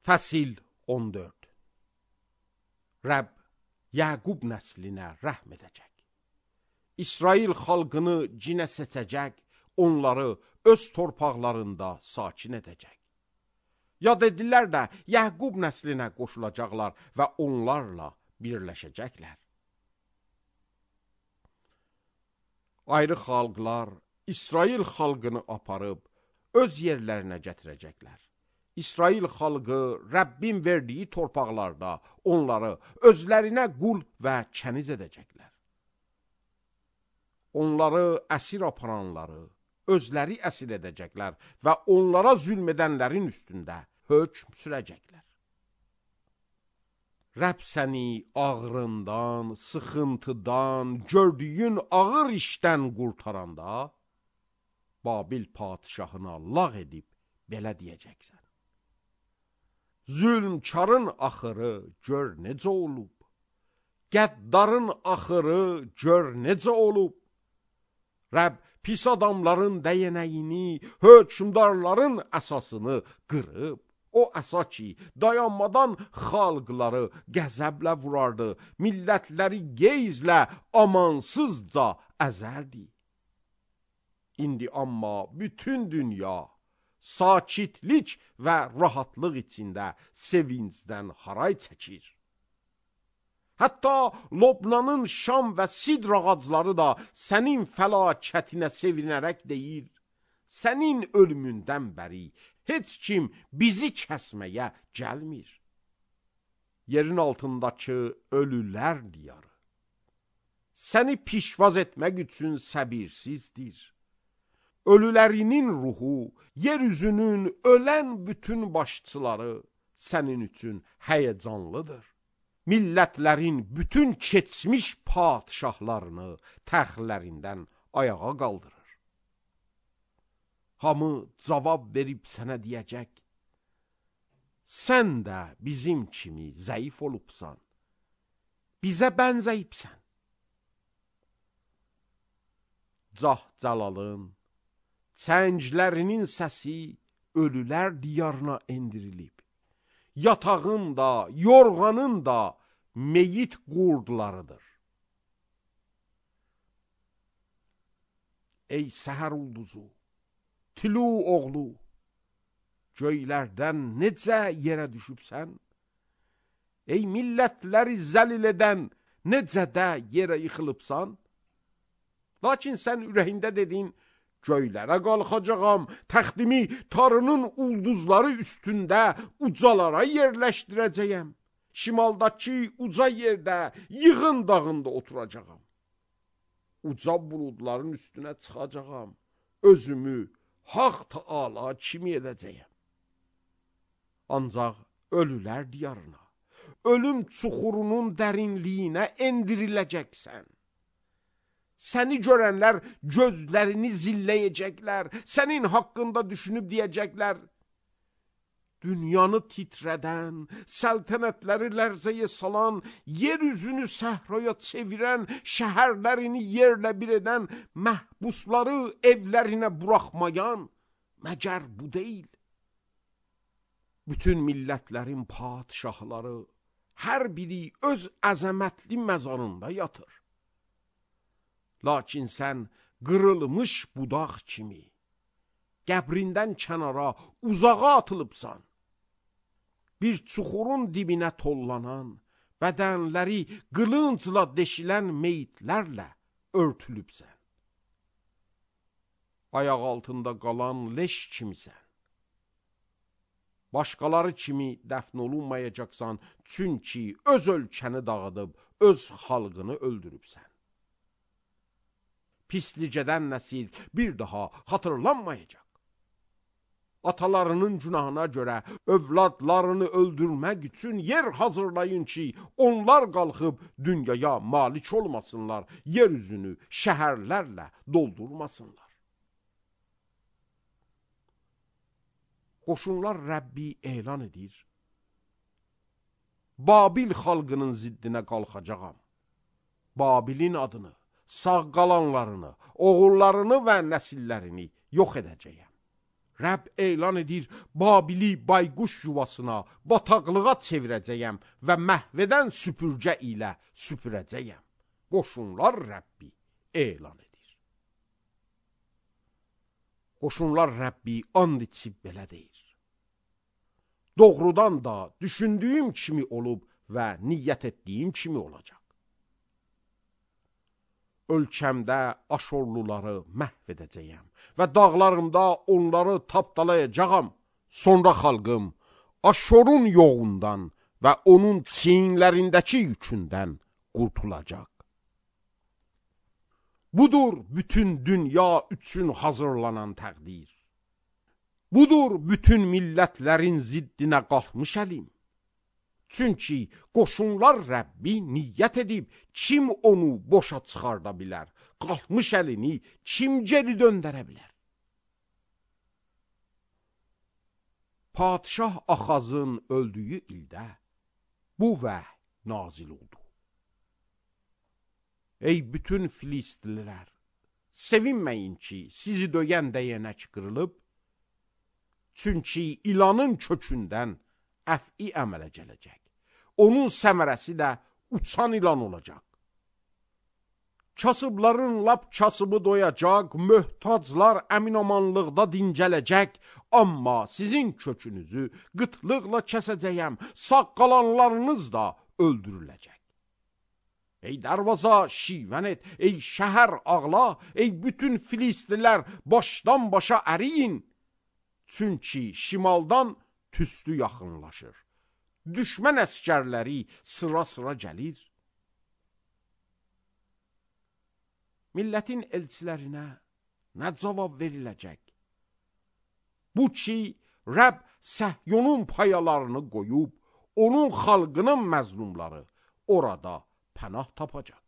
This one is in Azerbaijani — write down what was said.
Fəsil 14. Rəbb Yəqub nəslinə rəhm edəcək. İsrail xalqını cinə seçəcək, onları öz torpaqlarında sakin edəcək. Yad edilər də Yəqub nəslinə qoşulacaqlar və onlarla birləşəcəklər. Ayrı xalqlar İsrail xalqını aparıb öz yerlərinə gətirəcəklər. İsrail xalqı Rəbbin verdiyi torpaqlarda onları özlərinə qul və kəniz edəcəklər. Onları əsir aparanları özləri əsir edəcəklər və onlara zülm edənlərin üstündə hökm sürəcəklər. Rəbb səni ağrından, sıxıntıdan, gördüyün ağır işdən qurtaranda, Babil padişahına lağ edib belə deyəcəksən. Zülmkarın axırı gör necə olub, qəddarın axırı gör necə olub. Rəbb pis adamların dəyənəyini, hökmdarların əsasını qırıb, o əsa ki, dayanmadan xalqları qəzəblə vurardı, millətləri qeyzlə amansızca əzərdi. İndi amma bütün dünya sakitlik və rahatlıq içində sevincdən haray çəkir. Hətta Lobnanın şam və sidr ağacları da sənin fəlakətinə sevinərək deyir, sənin ölümündən bəri heç kim bizi kəsməyə gəlmir. Yerin altındakı ölülər diyarı səni pişvaz etmək üçün səbirsizdir. Ölülərinin ruhu, yeryüzünün ölən bütün başçıları sənin üçün həyəcanlıdır. Millətlərin bütün keçmiş padişahlarını təxtlərindən ayağa qaldırır. Hamı cavab verib sənə deyəcək, sən də bizim kimi zəif olubsan, bizə bənzəyibsən. Cah-Cəlalın, çənglərinin səsi ölülər diyarına endirilib. Yatağın da, yorğanın da meyit qurdlarıdır. Ey səhər ulduzu, Tülu oğlu, göylərdən necə yerə düşübsən? Ey millətləri zəlil edən necə də yerə yıxılıbsan? Lakin sən ürəyində dedin, göylərə qalxacağam, təxtimi tarının ulduzları üstündə ucalara yerləşdirəcəyəm. Şimaldakı uca yerdə, yığın dağında oturacağam. Uca buludların üstünə çıxacağam, özümü Haq Taala kimi edəcəyəm. Ancaq ölülər diyarına, ölüm çuxurunun dərinliyinə endiriləcəksən. Səni görənlər gözlərini zilləyəcəklər, sənin haqqında düşünüb deyəcəklər, dünyanı titrədən, səltənətləri lərzəyə salan, yeryüzünü səhraya çevirən, şəhərlərini yerlə bir edən, məhbusları evlərinə buraxmayan, məgər bu deyil? Bütün millətlərin padişahları, hər biri öz əzəmətli məzarında yatır. Lakin sən qırılmış budaq kimi, qəbrindən kənara, uzağa atılıbsan. Bir çuxurun dibinə tollanan, bədənləri qılıncla deşilən meyitlərlə örtülübsən. Ayaq altında qalan leş kimisən. Başqaları kimi dəfn olunmayacaqsan, çünki öz ölkəni dağıdıb, öz xalqını öldürübsən. Pislicədən nəsil bir daha xatırlanmayacaq. Atalarının günahına görə övladlarını öldürmək üçün yer hazırlayın ki, onlar qalxıb dünyaya malik olmasınlar, yeryüzünü şəhərlərlə doldurmasınlar. Qoşunlar Rəbbi elan edir. Babil xalqının ziddinə qalxacağam. Babilin adını, sağ qalanlarını, oğullarını və nəsillərini yox edəcəyəm. Rəbb elan edir, Babili bayquş yuvasına, bataqlığa çevirəcəyəm və məhvədən süpürgə ilə süpürəcəyəm. Qoşunlar Rəbbi elan edir. Qoşunlar Rəbbi and içib belə deyir. Doğrudan da düşündüyüm kimi olub və niyyət etdiyim kimi olacaq. Ölkəmdə Aşorluları məhv edəcəyəm və dağlarımda onları tapdalayacağam. Sonra xalqım Aşorun yoğundan və onun çiyinlərindəki yükündən qurtulacaq. Budur bütün dünya üçün hazırlanan təqdir. Budur bütün millətlərin ziddinə qalxmış əlim. Çünki qoşunlar Rəbbi niyyət edib, kim onu boşa çıxarda bilər? Qalxmış əlini kim geri döndərə bilər? Padişah Axazın öldüyü ildə bu vəhy nazil oldu. Ey bütün Filistlilər, sevinməyin ki, sizi döyən dəyənək qırılıb, çünki ilanın kökündən əf'i əmələ gələcək. Onun səmərəsi də uçan ilan olacaq. Kasıbların lap kasıbı doyacaq, möhtaclar əminamanlıqda dincələcək, amma sizin kökünüzü qıtlıqla kəsəcəyəm, sağ qalanlarınız da öldürüləcək. Ey darvaza şivən et, ey şəhər ağla, ey bütün Filistlilər başdan başa əriyin, çünki şimaldan tüstü yaxınlaşır. Düşmən əskərləri sıra-sıra gəlir. Millətin elçilərinə nə cavab veriləcək? Bu ki, Rəbb Səhyonun payalarını qoyub, onun xalqının məzlumları orada pənah tapacaq.